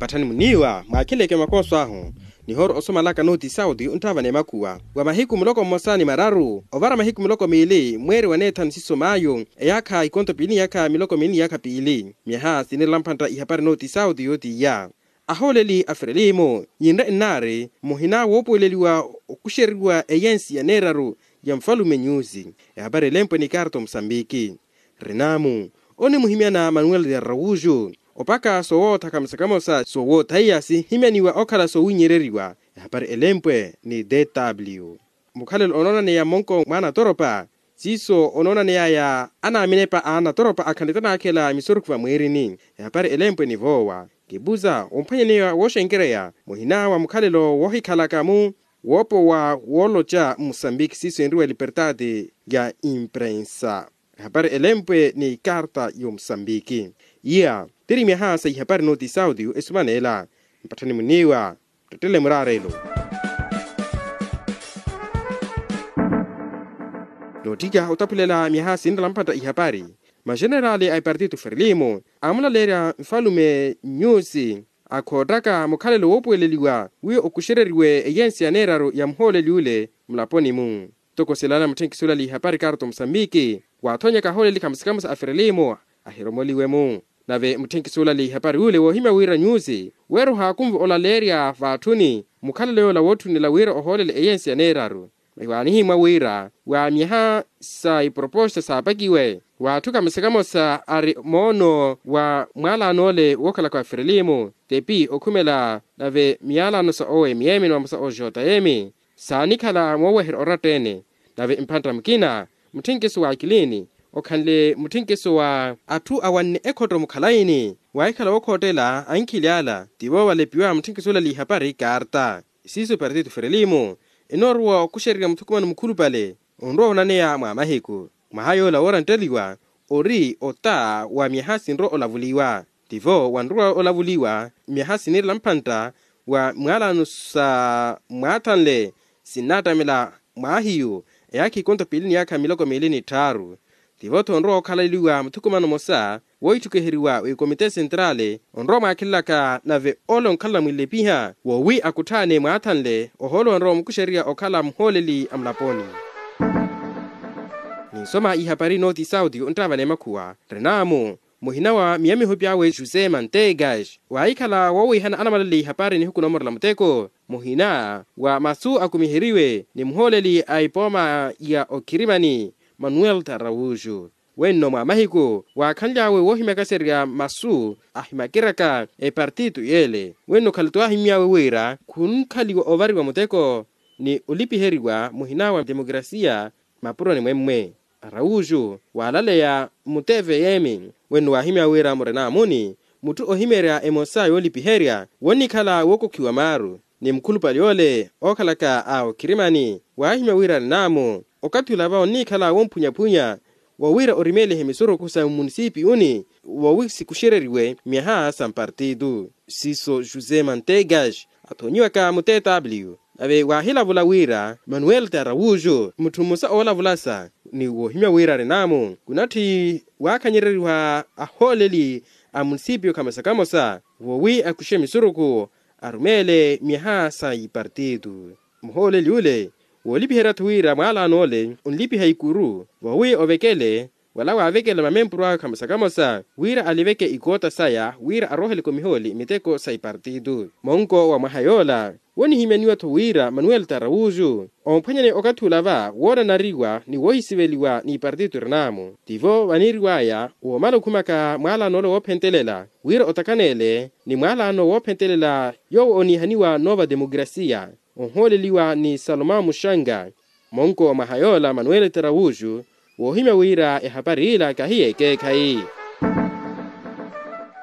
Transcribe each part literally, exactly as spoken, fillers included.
Patthani muniiwa mwaakheleke makooso ahu, nihooro osomalaka nooti sauti onttaavana emakhuwa wa mahiku muloko mmosa ni mararu ovara mahiku miloko miili mweeri wa neethanu siiso maayu eyaakha ikonto piili ni yaakha miloko miili ni yaakha piili. Myaha sinirela mphantta ihapari nooti sauti yootiiya ahooleli a frelimo yinre nnaari muhina woopuweleliwa okuxeriwa eyensi ya neeraru ya mufalume nyusi. Ehapari elempwe ni karto musambiki. Renamu onimuhimyana manuel de araujo opaka soowootha kamosa kamosa soowootha iya sihimyaniwa okhala soowinyereriwa. Ehapari elempwe ni dw mukhalelo onoonaneya monko mwa anatoropa siiso onoonaneyaya anaaminepa a anatoropa akhanle tanaakhela misurukhu vamwiirini. Ehapari elempwe ni voowa kipuza omphwanyaneya wooxenkereya muhina wa mukhalelo woohikhalaka-mu woopowa wooloca musambiki siiso enriwa libertade ya imprensa. Ehapari elempwe ni karta y'omusambiki iya tiri myaha sa ihapari nooti sauti esumaneela. Mpatthani muniiwa muttettele muraarelo. Nootthika otaphulela myaha sinrela mphantta ihapari maxeneraali a ipartito frelimo amulaleerya nfalume nyusi akhoottaka mukhalelo woopuweleliwa wiiya okuxereriwe eyensi ya neeraru ya muhooleli ule mulaponi-mu. Ntoko silana mutthenkisulali ihapari karto musambiki waathonyaka ahooleli kamosa kamosa a frelimo ahiromoliwe-mu. Nave mutthenkisulali ihapari ule woohimya wira nyusi weera ohaakunve olaleerya vaatthuni mukhalelo yoola wootthunela wira ohoolele eyensi ya neeraru. Maiwaanihimmwa wira wa myaha sa iproposta saapakiwe waatthu kamosa kamosa ari moono wa mwaalano ole wookhalaka wa frelimo tepi okhumela nave miyalano sa omyeme ni mamosa o jotayeme saanikhala mooweherya oratta-ene. Nave mphantta mukina mutthenkiso wa akilini okhanle mutthenkiso wa atthu awanne ekhotto mukhalayi-ni waahikhala wookhoottela ankhili ala tivo valepiwa mutthenkiso olali ihapari karta. Siiso partito frelimo enoorowa okuxererya muthukumano mukhulupale onrowa onaneya mwa mahiku mwaha yoola woorantteliwa ori ota wa myaha sinrowa olavuliwa. Tivo wanrowa olavuliwa myaha sinirela mphantta wa mwaalano sa mwaathanle sinnattamela mwahiyu eyaakha ikonto piili ni yaakha miloko miili ni tthaaru. Tivo-tho onrowa okhalaliwa muthukumano mmosa woitthukiheriwa w'ikomite sentrale onrowa mwaakhelelaka nave ole onkhalala mwinlepiha woowi akutthaane mwaathanle ohoolo onrowa omukuxererya okhala muhooleli a mulaponi. Ninsoma ihapari nooti sauti onttaavana emakhuwa renamu muhina wa miyamiho py'awe josé mantegas waahikhala woowiihana anamalale ihapari nihuku noomorela muteko muhina wa masu akumiheriwe ni muhooleli a ipooma ya okhirimani manuel taraujo. Wenno mwa mahiku waakhanly'awe woohimyakaserya masu ahimakiraka epartito y'ele wenno khale twaahimmy'awe wira khunkhaliwa ovariwa muteko ni olipiheriwa muhina wa demokrasiya mapuroni mwemmwe. Araujo waalaleya muteve yeemi wenno waahimya wira murenamuni mutthu ohimerya emosa yoolipiherya wonnikhala wookokhiwa maaru ni mukhulupale ole ookhalaka a okhirimani waahimya wira arenamo okathi olava onnikhala womphunyaphwunya wa wira orimeelihe misurukhu sa mmunisipiyuni wowi sikuxereriwe myaha sa mpartitu. Siiso josé mantegas athonyiwaka mu tw nave waahilavula wira manuel taraujo mutthu mmosa oolavulasa ni woohimya wira arenamo kunatthi waakhanyereriwa ahooleli a munisipiyo kamosa kamosa woowi akuxe misurukhu arumeele myaha sa ipartitu. Muhooleli ule woolipiherya-tho wira mwaalano ole onlipiha ikuru woowi ovekele wala waavekela mamempuru awe kamosa kamosa wira aliveke ikoota saya wira arooheleke omihooli miteko sa ipartitu. Monko wa mwaha yoola wonihimyaniwa-tho wira manuel taraujo omphwanyane okathi olava woonanariwa ni woohisiveliwa n'ipartitu renamo tivo vaniiriw'aya woomala okhumaka mwaalano ole woophentelela wira otakaneele ni mwaalano woophentelela yoowo oniihaniwa noova demokrasiya onhooleliwa ni salomao muxanga. Monko wa mwaha yoola manuel taraujo woohimya wira ehapari ila kahiya ekeekhayi.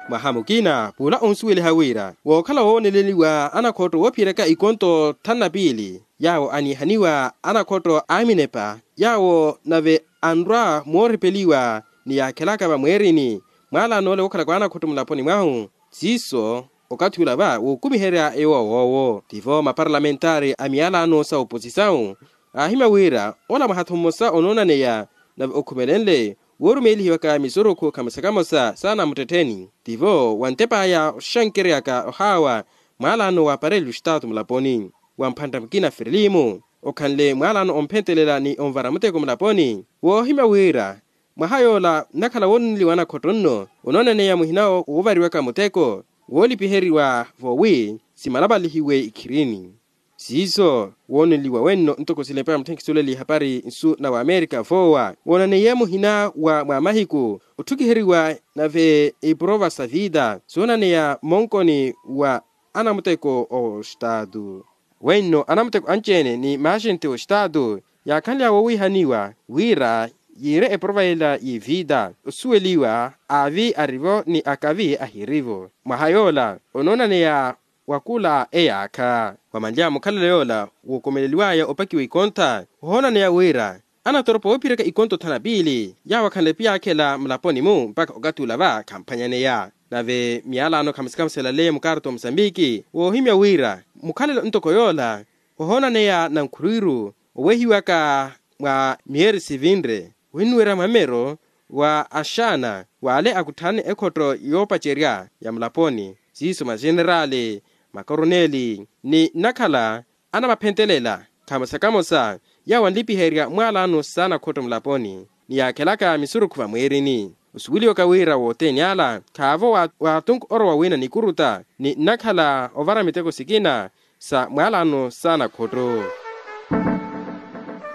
Mwaha mukina pula onsuweliha wira wookhala wooneleliwa anakhotto woophiyeraka ikonto thanu na piili yaawo aniihaniwa anakhotto a minepa yaawo nave anrwa mooripeliwa ni yaakhelaka vamweerini mwaalano ole wookhalaka anakhotto mulaponi mwahu siiso okathi ula va wookumiherya yowowoowo tivo maparlamentari a miyalano sa oposisawu aahimya wira ola mwaha-tho mmosa onoonaneya nave okhumelenle Woorumeelihiwaka misurukhu kamosa kamosa saana muttettheni, tivo wantepaya oxankeryaka ohaawa mwaalano wa apareli oxitaatu mulaponi wa mphantta mukina firilimu okhanle mwaalano omphentelela ni onvara muteko mulaponi. Woohimya wira mwaha yoola nnakhala woonuneliwa anakhotto nno onoonaneya muhina woovariwaka muteko woolipiheriwa voowi simalapalihiwe ikhirini. Siiso wooneliwa wenno ntoko silepa ya mutthenkisi oleli ihapari nsu na wamerika voowa woonaneiye muhina wa mwa mahiku otthukiheriwa nave iprova sa vita soonaneya mmonkoni wa anamuteko oxitaatu. Wenno anamuteko anci-ene ni maaxenti oxitaatu yaakhanlya woowihaniwa wira yiire eprova yela y'evita osuweliwa aavi arivo ni akavi ahirivo mwaha yoola onoonaneya wa kula eyaakha. Wamanlya mukhalelo yoola wookomeleliwaya opakiwa ikontha ohoonaneya wira anatoropa oophiraka ikontha othana piili yaawo akhanle piyaakhela mulaponi-mu mpakha okathi ula va khamuphanyaneya. Nave miyalano khamusikhamuselaleye mukarto musambiki woohimya wira mukhalelo ntoko yoola ohoonaneya nankhulwiru owehiwaka mwa miyeri sivinre winuwerya mwamero wa axaana w'ale akutthanne ekhotto yoopacerya ya mulaponi siiso maxeneraali makoroneli ni nnakhala anamaphentelela khamosa kamosa yaawo anlipiherya mwaalano saana khotto mulaponi ni yaakhelaka misurukhu vamwiirini. Osuweliwaka wira wothene ala khaavo waatunku orowa wina nikuruta ni nnakhala ovara miteko sikina sa mwaalano saana khotto.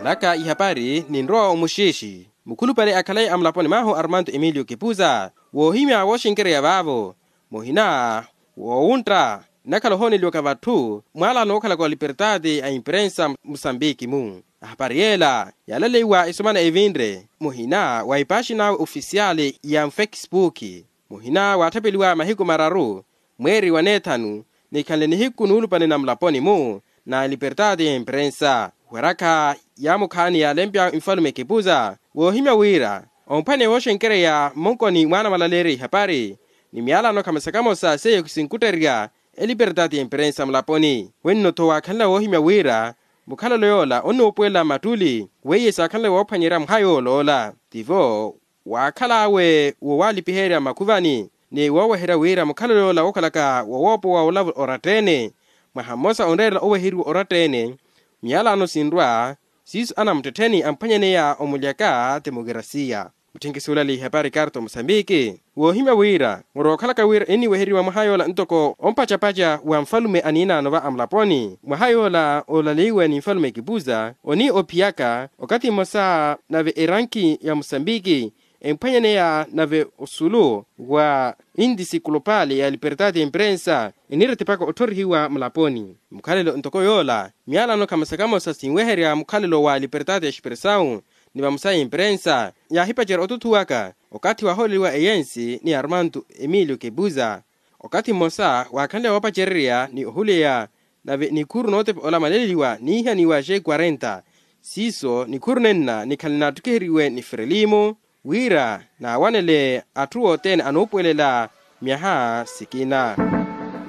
Naka ihapari ninrowa omuxiixi mukhulupale akhalayi a mulaponi mwahu armando emilio kipuza woohimya wooxenkereya vaavo muhina woowuntta nnakhala ohooneliwaka vatthu mwaalano wookhalaka wa libertati a imprensa musambiki-mu. Ahapari yeela yaalaleiwa esomana evinre muhina wa epaaxi nawe ofisiyali ya mufekisipuki muhina waatthapeliwa mahiku mararu mweeri wa neethanu nikhanle nihiku nuulupale na mulaponi-mu na libertati ya imprensa. Werakha yaamukhaani yaalempya nfalume kipuza woohimya wira omphwaneya wooxenkereya mmonkoni mwaana mwalaleerya ihapari ni miyalano khamosa kamosa seiyo sinkutterya elipertati ya imprensa mulaponi. Wenno-tho waakhanle woohimya wira mukhalelo yoola onnuupuwelela mmattuli weiye saakhanle woophwanyerya mwaha yooloola tivo waakhal'awe wo waalipiherya mmakhuvani ni wooweherya wira mukhalelo yoola wookhalaka wowoopowa wolavula oratta-ene mwaha mmosa onreerela oweheriwa oratta-ene miyalano sinrwa siiso anamuttettheni amphwanyaneya omulyaka temokerasiya. Mutthinkisi olali ihapari karto musambiki woohimya wira muro wookhalaka wira eniweheriwa mwaha yoola ntoko ompacapaca wa nfalume aniinaano va amulaponi mwaha yoola olaleiwe ni nfalume kipuza oni ophiyaka okathi mmosa nave erankhi ya musambiki emphwanyaneya nave osulu wa intisi kulopali ya libertati ya imprensa eniirettipaka otthorihiwa mulaponi. Mukhalelo ntoko yoola miyalano khamosa kamosa sinweherya mukhalelo wa libertati ya expressau ni vamosa ya imprensa yaahipacerya otuthuwaka okathi waahooleliwa eyensi ni armando emilio kepuza okathi mmosa waakhanle woopacererya ni ohuleya nave nikhuru nootepa olamaleliwa niihaniwa xe kwarenta siiso nikhuru nenna nikhanle naattukiheriwe ni frelimo wira naawanele atthu othene anuupuwelela myaha sikina.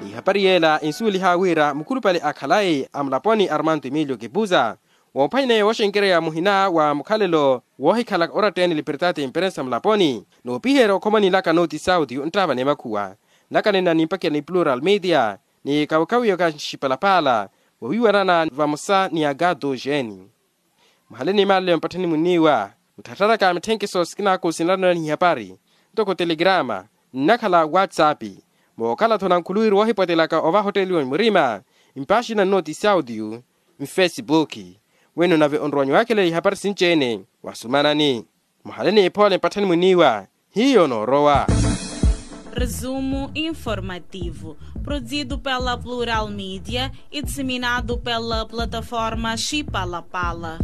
N'ihapari yeela ensuweliha wira mukhulupale a khalayi a mulaponi armando emilio kipuza woophwanyaneya wooxenkereya muhina wa mukhalelo woohikhalaka oratta-ene libertati ya imprensa mulaponi noopiherya okhoma ninlaka noti sauti ontravana emakhuwa nlaka nenna nimpakela ni plural media ni kawekawiyo ka nxipalapaala wowiiwanana vamosa ni agato xeeni. Muhale ni maale mpatthani munniiwa mutthattharaka mitthenkeso sikinaaku sinlalanela n'ihapari ntoko telegrama nnakhala whatsapp mookhala-tho nankhuluwiru woohipwatelaka ovahotteliwa murima mpaaxina nnoti saudio mfesipuki. Weno nave onrowanyu waakhelela ihapari sinci-ene wasumanani muhale ni ephoole mpatthani munniiwa hiyo noorowa. Resumo informativo produzido pela plural media e disseminado pela plataforma xipalapala.